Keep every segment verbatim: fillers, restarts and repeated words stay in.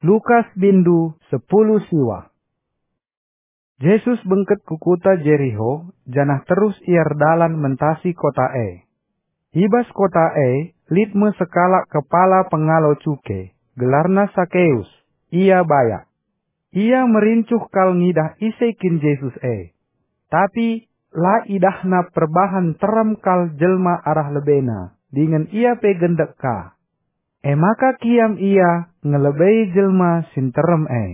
Lukas bindu sepuluh siwa. Jesus bengket ku kuta Jeriho, janah terus ia erdalan mentasi kota e. I bas kota e lit me sekalak kepala pengalo cuke, gelarna Sakeus. Ia bayak. Ia merincuh kal ngidah ise kin Jesus e. Tapi la idahna perbahan nterem kal jelma arah lebena, dingen ia pe gendek ka. E maka kiam ia ngelebei jelma si nterem e.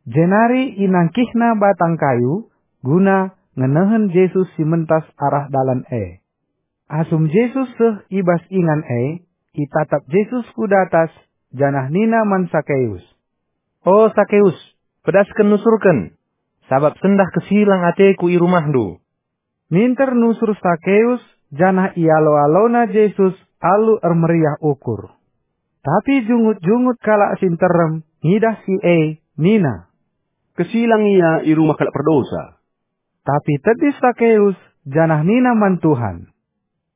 Jenari inangkihna batang kayu guna ngenehen Jesus si mentas arah dalan e. Asum Jesus seh i bas ingan e, itatap Jesus ku datas, janah nina man Sakeus, "O Sakeus, pedasken nusurken, sabap sendah kesilang ateku i rumahndu." Minter nusur Sakeus, janah ialo-alona Jesus alu ermeriah ukur. Tapi jungut-jungut kalak si nterem ngidah si e, nina, "Kesilang ia i rumah kalak perdosa." Tapi tedis Sakeus, janah nina man Tuhan,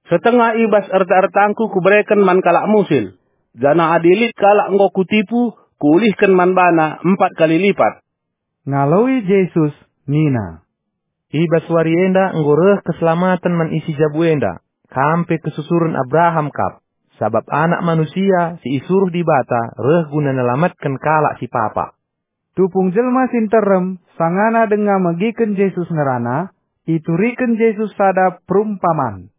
"Setengah i bas erta-ertangku kubereken man kalak musil, janah adi lit kalak enggo kutipu, kuulihken man bana empat kali lipat." Ngaloi Jesus nina, "I bas wari enda enggo reh keselamaten man isi jabu enda, kam pe kesusuren Abraham kap, sabap Anak Manusia si isuruh Dibata reh guna nelamatken kalak si papa." Tupung jelma si nterem sangana denga megiken Jesus ngerana, ituriken Jesus sada perumpaman.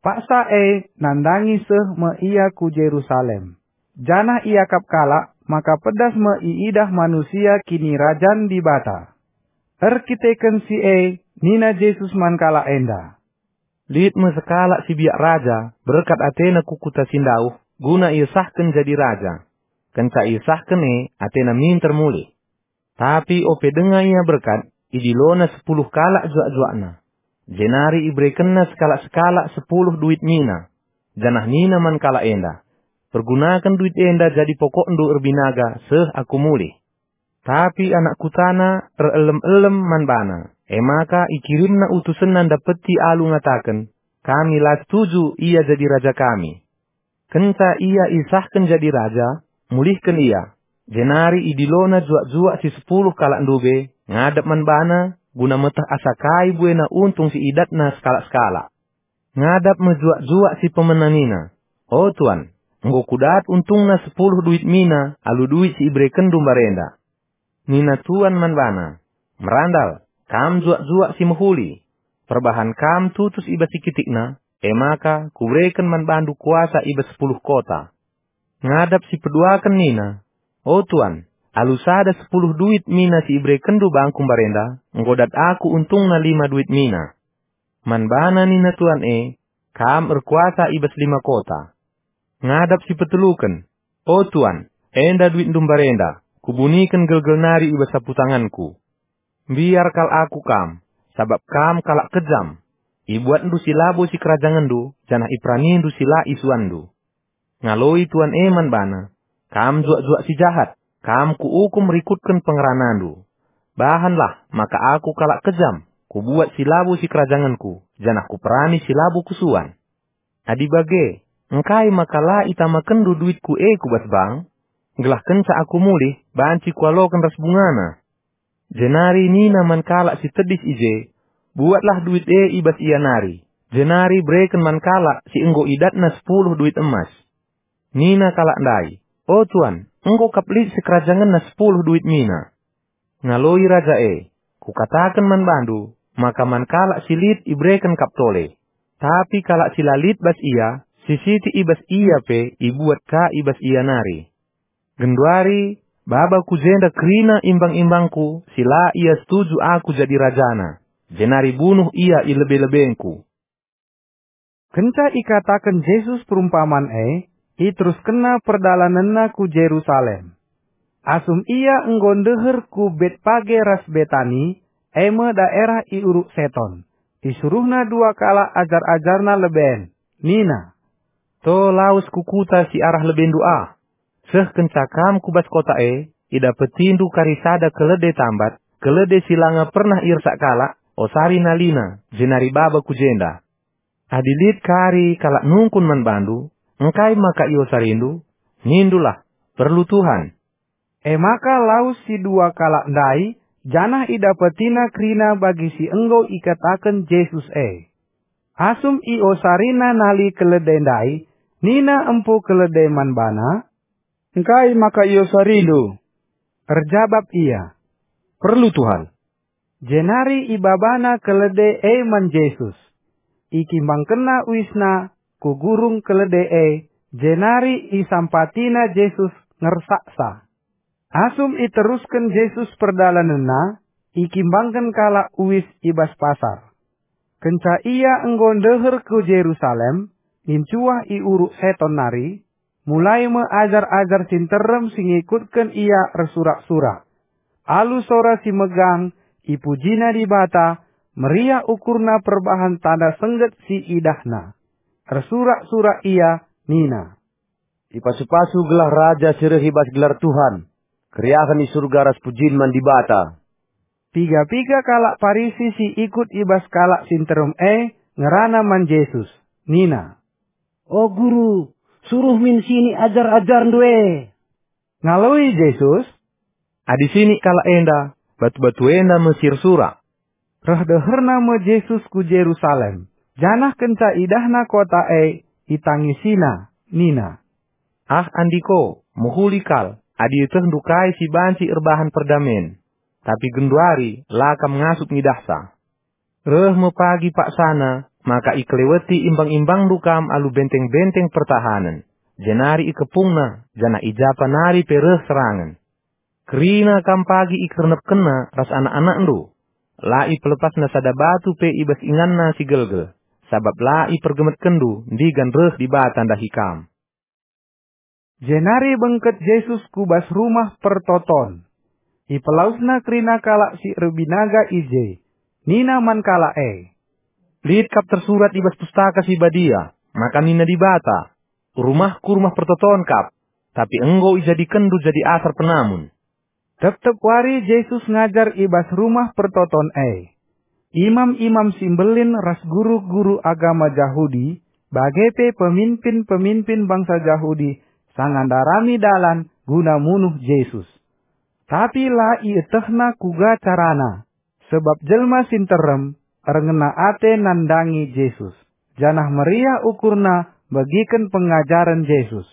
Paksa e nandangi seh me ia ku Jerusalem, janah iakap kalak maka pedas me iidah manusia Kinirajan Dibata. Erkiteken si e nina Jesus man kalak enda, "Lit me sekalak si biak raja, berkat atena ku kuta si ndauh, guna iesahken jadi raja. Kenca iesahken e, atena minter mulih. Tapi ope denga ia berkat, idilona sepuluh kalak juak-juakna. Jenari iberekenna sekalak-sekalak sepuluh duit mina, janah nina man kalak enda, 'Pergunaken duit enda jadi pokokndu erbinaga seh aku mulih.' Tapi anak kutana erelem-elem man bana, e maka ikirimna utusenna ndapeti alu ngataken, 'Kami la setuju ia jadi raja kami.' Kenca ia isahken jadi raja, mulihken ia, jenari idilona juak-juak si sepuluh kalak ndube ngadap man bana guna meteh asa kai buena untung si idatna sekalak-sekalak. Ngadap me juak-juak si pemena nina, 'O tuan, enggo kudat untungna sepuluh duit mina alu duit si iberekenndu mbarenda.' Nina tuan man bana, 'Merandal, kam juak-juak si mehuli. Perbahan kam tutus i bas si kitikna, e maka kubereken man bandu kuasa i bas sepuluh kota.' Ngadap si peduaken nina, 'O tuan, alu sada sepuluh duit mina si iberekenndu bangku mbarenda, enggo dat aku untungna lima duit mina.' Man bana nina tuan e, 'Kam erkuasa i bas lima kota.' Ngadap si peteluken, 'O tuan, enda duitndu mbarenda, kubuniken gelgel nari i bas sapu tanganku. Mbiar kal aku kam, sabap kam kalak kejam. Ibuatndu si labo sikerajangenndu, janah iperanindu si la isuanndu.' Ngaloi tuan e man bana, 'Kam juak-juak si jahat, kam kuukum rikutken pengeranandu. Bahanlah maka aku kalak kejam, kubuat si labo sikerajangenku, janah kuperani si labo kusuan. Adi bage, engkai maka la itamakenndu duitku e ku bas bank, gelah kenca aku mulih banci kualoken ras bungana?' Jenari nina man kalak si tedis i je, 'Buatlah duit e i bas ia nari, jenari bereken man kalak si enggo idatna sepuluh duit emas.' Nina kalak ndai, 'O tuan, enggo kap lit sikerajangenna sepuluh duit mina.' Ngaloi raja e, 'Kukataken man bandu, maka man kalak si lit ibereken kap tole, tapi kalak si la lit bas ia, si sitik i bas ia pe ibuat ka i bas ia nari. Genduari, baba ku jenda kerina imbang-imbangku si la ia setuju aku jadi rajana, jenari bunuh ia i lebe-lebengku.'" Kenca ikataken Jesus perumpaman e, iteruskenna perdalanenna ku Jerusalem. Asum ia enggo ndeher ku Betpage ras Betani, e me daerah i Uruk Seton, isuruhna dua kalak ajar-ajarna leben, nina, "To lawes ku kuta si arah lebendu ah. Seh kenca kam ku bas kota e, idapetindu kari sada kelede tambat, kelede si langa pernah iersak kalak, osari nalina, jenari baba ku jenda. Adi lit kari kalak nungkun man bandu, 'Engkai maka iosarindu?' nindulah, 'Perlu Tuhan.'" E maka lawes si dua kalak ndai, janah idapetina kerina bagi si enggo ikataken Jesus e. Asum iosarina nali kelede ndai, nina empu kelede man bana, "Engkai maka iosarindu?" Erjabap ia, "Perlu, Tuhan." Jenari ibabana kelede e man Jesus. Ikimbangkenna uisna ku gurung kelede e, jenari isampatina Jesus ngersaksa. Asum iterusken Jesus perdalanenna, ikimbangken kalak uis i bas pasar. Kenca ia enggo ndeher ku Jerusalem, nincuah i uruk Seton nari, mulai me ajar-ajar si nterem si ngikutken ia ersurak-surak. Alu sora si megang, ipujina Dibata, meriah ukurna perbahan tanda sengget si idahna. Ersurak-surak ia nina, "Ipasu-pasu gelah Raja si reh i bas gelar Tuhan. Keriahen i Surga ras pujin man Dibata." Piga-piga kalak Parisi si ikut i bas kalak si nterem e ngerana man Jesus, nina, "O Guru, suruh min sini ajar-ajarNdu e." Ngaloi Jesus, "Adi sinik kalak enda, batu-batu enda me si ersurak." Reh deherna me Jesus ku Jerusalem, janah kenca idahna kota e, itangisina, nina, "Ah, andiko, mehuli kal, adi ietehndu kai si banci erbahan perdamen, tapi genduari la kam ngasup ngidahsa. Reh me pagi paksana maka ikeleweti imbang-imbangNdu kam alu benteng-benteng pertahanen, jenari ikepungna, janah i ja pe nari pe reh serangen. Kerina kam pagi ikernepkenna ras anak-anakNdu. La ipelepasna sada batu pe i bas inganna si gelgel, sabap la ipergemetkenNdu ndigan reh Dibata ndahi kam." Jenari bengket Jesus ku bas Rumah Pertoton. Ipelawesna kerina kalak si erbinaga i je. Nina man kalak e, "Lit kap tersurat i bas Pustaka Si Badia, maka nina Dibata, 'Rumahku rumah pertoton kap,' tapi enggo ijadikenndu jadi asar penamun." Tep-tep wari Jesus ngajar i bas Rumah Pertoton e. Imam-imam si mbelin ras guru-guru agama Jahudi, bage pe peminpin-peminpin bangsa Jahudi, sanga ndarami dalan guna munuh Jesus. Tapi la ietehna kuga carana, sebab jelma si nterem erngena ate nandangi Jesus, janah meriah ukurna begiken pengajaren Jesus.